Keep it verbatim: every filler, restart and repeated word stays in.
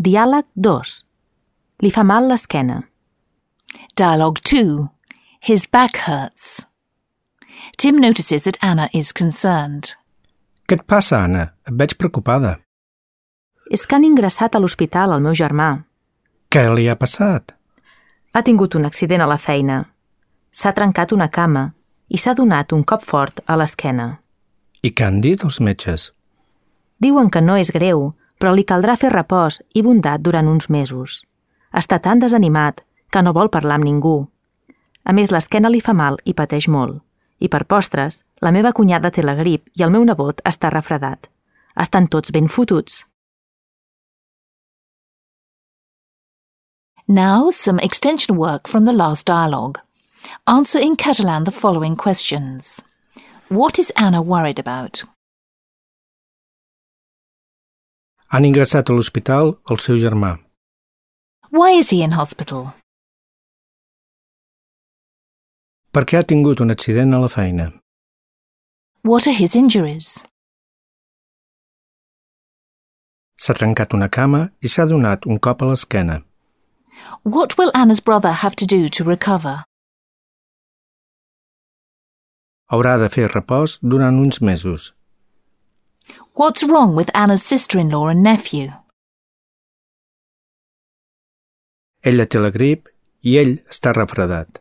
Diàleg dos. Li fa mal l'esquena. Dialogue two. His back hurts. Tim notices that Anna is concerned. Què et passa, Anna? Et veig preocupada. És que han ingressat a l'hospital al meu germà. Què li ha passat? Ha tingut un accident a la feina. S'ha trencat una cama i s'ha donat un cop fort a l'esquena. I què han dit els metges? Diuen que no és greu, però li caldrà fer repòs i bondat durant uns mesos. Està tan desanimat que no vol parlar amb ningú. A més, l'esquena li fa mal i pateix molt. I per postres, la meva cunyada té la grip i el meu nebot està refredat. Estan tots ben fotuts. Now, some extension work from the last dialogue. Answer in Catalan the following questions. What is Anna worried about? Han ingressat a l'hospital el seu germà. Why is he in hospital? Perquè ha tingut un accident a la feina. What are his injuries? S'ha trencat una cama i s'ha donat un cop a l'esquena. What will Anna's brother have to do to recover? Haurà de fer repòs durant uns mesos. What's wrong with Anna's sister-in-law and nephew? Ella té la grip i ell està refredat.